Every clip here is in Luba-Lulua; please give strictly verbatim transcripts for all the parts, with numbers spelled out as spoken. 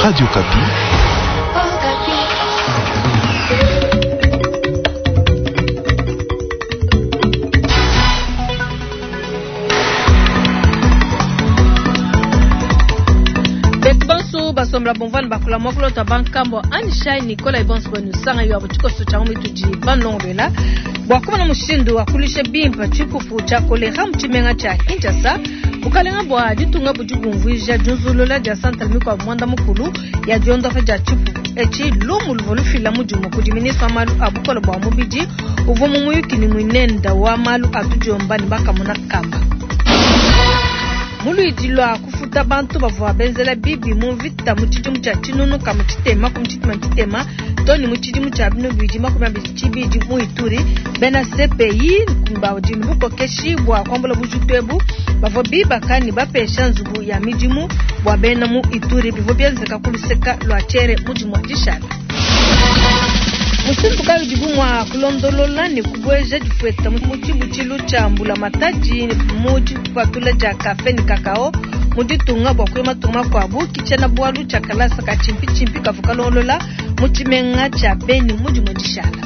Radio Okapi. Betu bonso basombola bomvana bakula mwakulota bankambo anishai nikola ibonso benu sanga yo abo tshikoso tshia mitudi banlongolwela bua kumona mushindu wa kulisha bimpa tshipupu tshia kolera mu tshimenga tshia Kinshasa. Bukalenga bua ditunga budi bumvuija diunzulula dia santral mikuabu muanda mukulu ya diondopa dia tshipupu etshi. Lumu luvua lufila mudimu kudi ministre wa malu a bukole bua mubidi uvua mu muyuki ne muinenda wa malu a tudiomba ne bakamona kamba. Muluidi lua kufuta bantu bavua benzela bibi mu mvita mu tshidimu tshia tshinunu ka mu tshitema ku tshitema tshitema to ne mu tshidimu tshia binu bibidi makumi abidi tshibidi mu Ituri. Bena C P I badi ne bukokeshi bua kuambula bujitu ebu bavua bibaka ne bapesha nzubu ya midimu bua bena mu Ituri bivua bienzeka ku luseka lua Tshiere mu dimue dishala. Mushindu kayi udibu mua kulondolola ne kubueja difueta mu tshibutshilu tshia mbulamatadi mu dipatula dia kafe ne kakao mu ditunga bua kuya matunga makuabu? Ke tshiena-bualu tshia kalasa ka tshimpitshimpi kavua kalongolola mu tshimenga tshia Beni mu dimue dishala.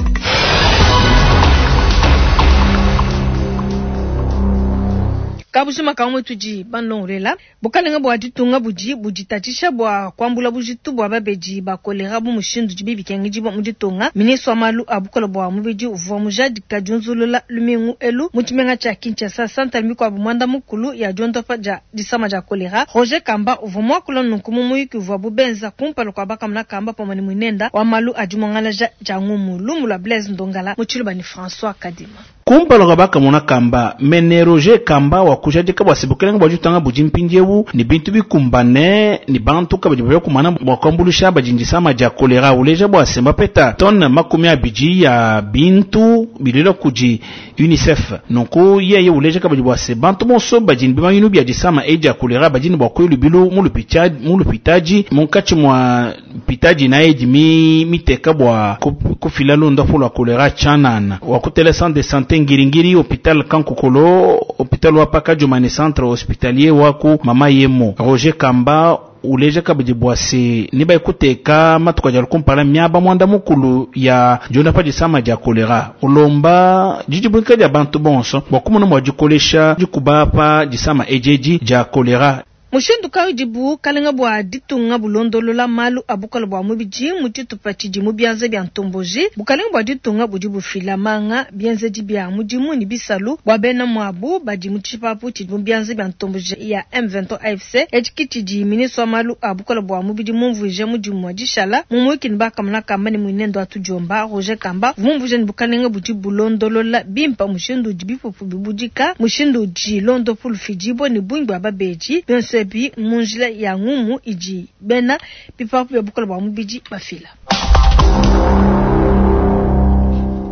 Kabujima kamwe tudi banlongolwela. Bukalenga bua ditunga budi buditatshisha bua kuambula bujitu bua babedi ba kolera bu mushindu udi bikengedibua mu ditunga. Ministre wa malu a bukole bua mubidi uvua mujadika diunzulula lumingu elu mu tshimenga tshia Kinshasa santral mikuabu muanda mukulu ya diondopa dia disama dia kolera. Roger Kamba uvua muakula nunku mu muyuki uvua bubenza kumpala kua bakamuna Kamba pamue ne muinenda wa malu a dimongalaja dia ngumu. Lumu lua Blaise Ndongala mu tshiluba ne François Kadima. Kumpala kua bakamuna Kamba, mene Roger Kamba wa kujadika bua se bukalenga bua ditunga budi mpindiewu ne bintu bikumbane ne bantu kabidi bavua kumana bua kuambuluisha badi disama dia kolera. Uleja bua se mbapeta tonne makumi abidi ya bintu bilila kudi UNICEF. Nunku yeye uleja kabidi bua se bantu bonso badi ne bimanyinu bia disama edi dia kolera badi ne bua kuya lubilu mu lupita-, mu lupitadi munkatshi mua pitadi na edi mi-, miteka bua ku-, kufila londapu lua kolera tshianana. Wa kutela centre de santé Ngiringiri, hôpital Kankokolo, hôpital wa Pakadjuma ne centre hospitalier wa ku Mama Yemo. Roger Kamba uleja kabidi bua se ne baikuteka matuka dia kumpala miaba mwanda mukulu ya diondopa disama dia kolera. Ulomba didibuika dia bantu bonso bua kumona mua dikolesha dikubapa disama ejedi dia kolera. Mushindu kayi udibu kalenga bua ditunga bulondolola malu a bukole bua mubidi mu tshitupa tshidi mu bianza bia ntomboji. Bukalenga bua ditunga budi bufila manga bienzedi bia mudimu ne bisalu bua bena muabu badi mu tshipapu tshidi mu bianza bia ntomboji ya M vingt-trois A F C. Etshi ke tshidi ministre wa malu a bukole bua mubidi mumvuije mudimu wa dishala mu muyuki ne bakamuna Kamba ne muinendo wa tudiomba. Roger Kamba mumvuije ne bukalenga budi bulondolola bimpa mushindu udi bipupu bibudika, mushindu udi londopu lufidibua ne bungi bua babedi bionso ebi mu njila ya ngumu idi bena bipapu bia bukole bua mubidi bafila.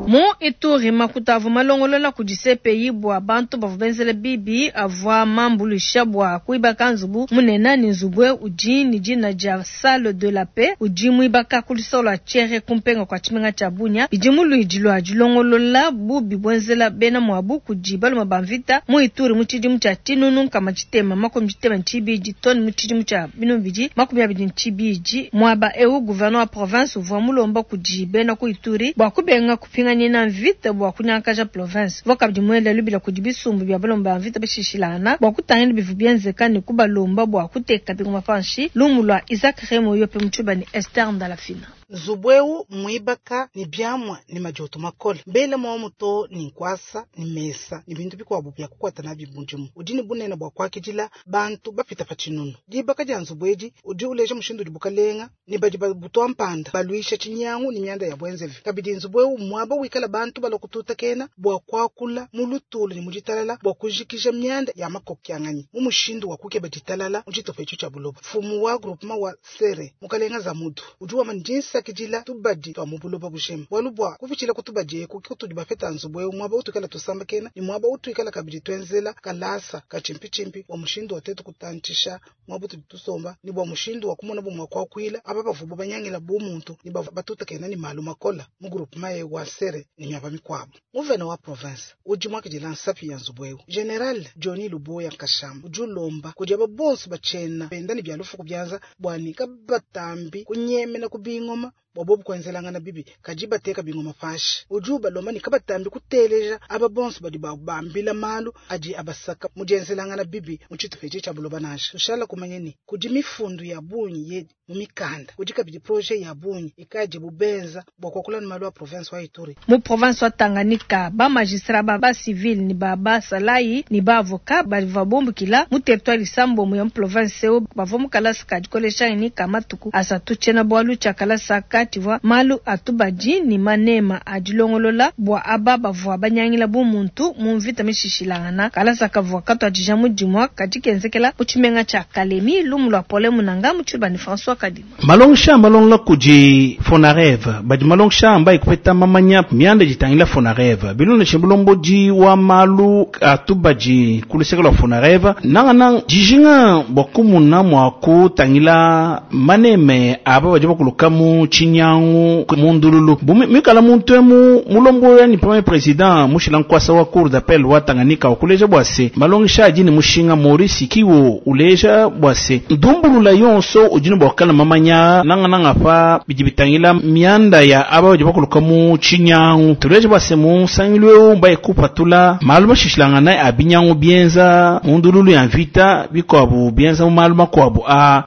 Mu Ituri makuta avua malongolola kudi C P I bua bantu bavua benzela bibi avua mambuluisha bua kuibaka nzubu munene ne nzubu udi ne dina dia Salle de la Paix udi muibaka ku lusolo lua Tshiere kumpenga kua tshimenga tshia Bunia. Bidi mu luidi lua dilongolola bubi buenzela bena muabu kudi balume ba mvita mu Ituri mu tshidimu tshia tshinunu nkama tshitema makumi tshitema ne tshibidi too ne mu tshidimu tshia binunu bibidi makumi abidi ne tshibidi. Muaba eu gouverneur wa province uvua mulomba kudi bena ku Ituri bua kubenga kupingana na mvita bua kunyangakaja province. Vua kabidi muela lubila kudi bisumbu bia balomba ba mvita bashishilana bua kutangila bivu bienzeka ne kubalomba bua kuteka bingoma panshi. Lumu lua Isaac Remo Yope Mutshuba ne Esther Ndalafina. Nzubu eu muibaka ne biamua ne madioto makole mbele mwa muto ni nkwasa ni mesa ni bintu bikuabu bya kukwata nabi mudimu udi ne bunene bua kuakidila bantu bapita pa tshinunu. Dibaka dia nzubu edi udi uleja mushindu udi bukalenga ne badi babutwa mpanda baluisha tshinyangu ne mianda ya bwenzevi. Kabidi nzubu eu muaba wikala bantu balokututakena bua kuakula mu lutulu ne mu ditalala bua kujikija mianda ya makokyanganyi mu mushindu wa kukeba ditalala mu tshitupa etshi tshia buloba. Mfumu wa groupement wa Sere mukalenga Zamudu udi wamba ndinsa Tusakidila tubadi twa mu buloba bujima. Bualu bua kupitshila ku tubadi eku kutudi bapeta nzubu eu muaba utuikala tusambakena ne muaba utuikala kabidi twenzela kalasa katshimpitshimpi bua mushindu wa tetu kutantshisha muaba utudi tusomba ne bua mushindu wa kumona bumue kuakuila aba bavubu banyangila bu muntu ne bavua batutakena ne malu makola mu groupement ye wa Nsere ne miaba mikuabu. Muvene wa province udi muakidila nsapi ya nzubu eu General Johnny Luboya Nkashama udi ulomba kudi aba bonso batshena benda ne bia lufu byanza bua ne kabatambi kunyemena ku bingoma bua bobu kuenzelangana bibi kadi bateka bingoma panshi. Udi ubalomba ne kabatambi kuteleja aba bonso badi babambila malu adi abasaka mu dienzelangana bibi mu tshitupa etshi tshia buloba nansha. Tushala kumanya ne kudi mifundu ya bungi ye mu mikanda, kudi kabidi projet ya bungi ikadi bubenza bua kuakula ne malu a province wa Ituri. Mu province wa Tanganyika ba magistrat ba ba civil ni ba ba salayi ni ba avocat bavua bumbukila mu territoire isambombo ya mu province eu bavua mu kalasa ka dikolesha ni ka matuku asatu tshiena bualu tshia kalasa ka tshivua malu atubadi ni manema a dilongolola bua aba bavua banyangila bu muntu mu mvita mishishilangana. Kalasa kavua katuadija mudimu kadi kenzekela mu tshimenga tshia Kalemi lumu lua Pole Munanga mu tshibani François Kadima. Malongesha malongola kudi Fonareve badi malongesha ambaye kupeta mamanya mianda jitangila Fonareve bilondeshe bulombodi wa malu atubadi ku luseke lua Fonareve nangana dijinga bua kumuna mua kutangila maneme aba badi bakuluka mu tshinyangu mu ndululu mikala muntu emu mulombo yani premier président mushila nkwasa wa cour d'appel wa Tanganyika okuleja bua se malongesha adi ne mushinga Maurice Kiwo uleja bua se ndumbulula yonso udi ne bua kukala mamanya nangananga pa bidi bitangila mianda ya aba badi bakuluka mu tshinyangu. Tuleja bua se mu nsangilu eu mbaye kupatula malu mashishilangana a binyangu bienza mu ndululu ya mvita bikuabu bienza mu malu makuabu a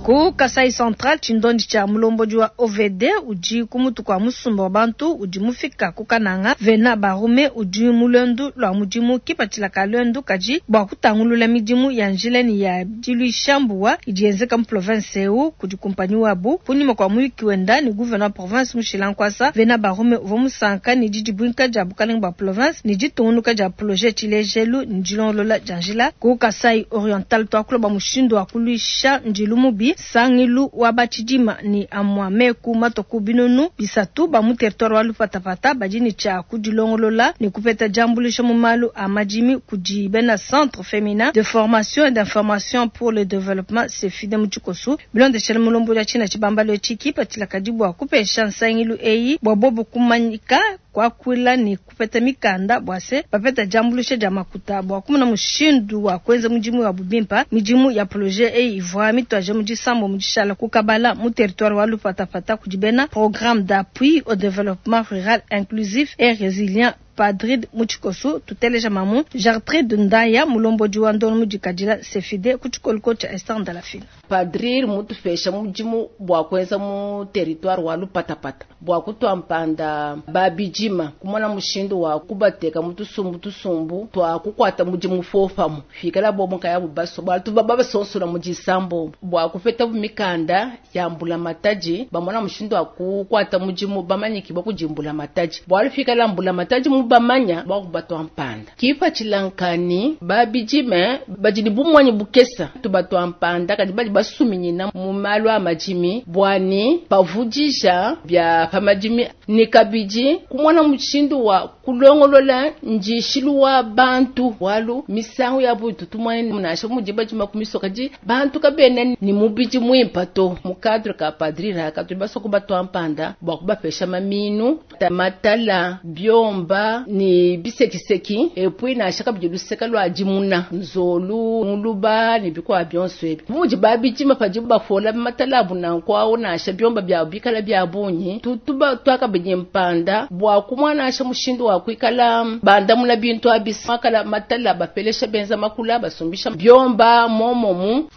Ku Kasai Central tshindondi tsha mulombodi wa O V D udi kumutu kwa musumba wa bantu udi mufika ku Kananga Vena Barume udi mulwendu lwa mudimu kipatshila ka lwendu kaji bua kutangulula midimu ya njila ni ya diluisha mbuwa idi yenzeka mu province eu kudi kumpanyi wabu kunyima kwa muyuki wenda ni gouverneur wa province Mushila Nkwasa. Vena Barume uvua musanka ni didibwinka dia bukalenga bua province ni ditungunuka dia projet tshilejelu ni dilongolola dia njila. Ku Kasai Oriental tuakula bua mushindu wa kuluisha ndilu mubi sangilu wa batshidima ni amwa meku matoku binunu bisatu ba mu territoire wa Lupatapata badi ni tshia kudilongolola ni kupeta diambulisha mu malu a madimi kudi bena centre féminin de formation et d'information pour le développement CEFIDE mu tshikosu bilondeshele mulombo dia tshina tshibambalo etshi patshila kadi bua kupesha nsangilu eyi bua bobo kumanyika kwakwila ni kupeta mikanda bua se bapeta diambulisha dia makuta bua kumuna mushindu wa kuenza mudimu wa bubimpa. Midimu ya projet eyi ivua mitwaje mu disambo mu dishala kukabala mu territoire wa Lupatapata kudi bena programme d'appui au développement rural inclusif et résilient Padrid mu tshikosu. Tuteleja mamu Gertrude Ndaya mulombodi wa ndono mudikadila CEFIDE ku tshikoliko tsha Esther Ndalafina. Padrir mutufesha mudimu bua kuenza mu territoire wa Lupatapata bua kutuampanda babijima kumona mushindu wa kubateka mutusumbu tusumbu twa kukwata mudimu fofamu fikala bobo nkaya bubaso batu baba sonsola mu disambo bua kupeta mikanda ya mbula mataji bamona mushindu wa kukwata mudimu bamanyiki bwa kujimbula mataji bua lufikala mbula mataji mu bamanya bua kubatwa mpanda kipa chilankani babijime bajini bumwanyi bukesa tubatwa mpanda kadi bali basuminyina mu malu a majimi bwani pavudisha bya pamajimi ni kabidi kumwana mushindu wa kulongolola njishilu wa bantu walu misangu ya butu tumwane munasha mujiba jima kumisoka ji bantu kabene ni mubiji mwimpa to mu cadre ka padrira ka tubaso kubatwa mpanda bwa kubapesha maminu matala byomba ni bisekiseki epui na shaka bijuluseka lwa jimuna nzolu muluba ni bikwa byonso ebi muji babijima paji bafola matala buna nkwawo na sha byomba bya bikala bya bunyi tutuba twakabinye mpanda bwa kumwana asha mushindu wa kwikala banda mula bintu abisa makala matala bapelesha benza makula basumbisha byomba momomu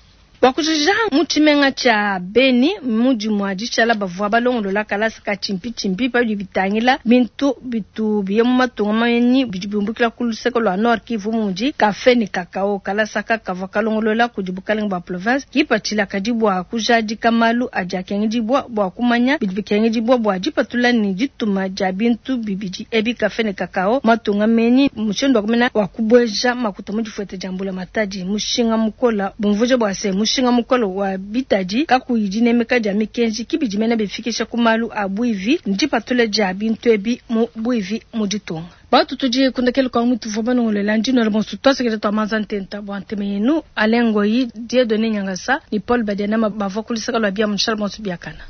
Wakujija mu tshimenga tsha Beni mudimu wa dishala bavua balongolola kalasa ka tshimpitshimpi pabidi bitangila bintu bitu biye mu matunga manyi bidi biumbukila ku luseke lua Nord Kivu mudi kafe ni kakao. Kalasa ka kavua kalongolola kudi bukalenga bua province kipatshila kadi bua kujadika malu adi akengedibua bua kumanya bidi bikengedibua bua dipatula ni dituma dia bintu bibidi ebi kafe ni kakao matunga menyi mushindu wa kumena wa kubueja makuta mu difuete dia mbula matadi mushinga mukola bumvuja bua se mushinga Mushinga mukole wa bitadi kakuyi dinemeka dia mikenji ki bidi mena bifikisha ku malu a buivi ne dipatula dia bintu ebi mu buivi mu ditunga. Batu tudi kundekelu kwa mutuvua banongolola ndi nwela bonso tuasekela tua manza ntenta bua ntema yenu Alain Ngoyi, Dieudonné Nyangasa ne Paul Badianama bavua ku luseke lua bia munushala bonso biakana.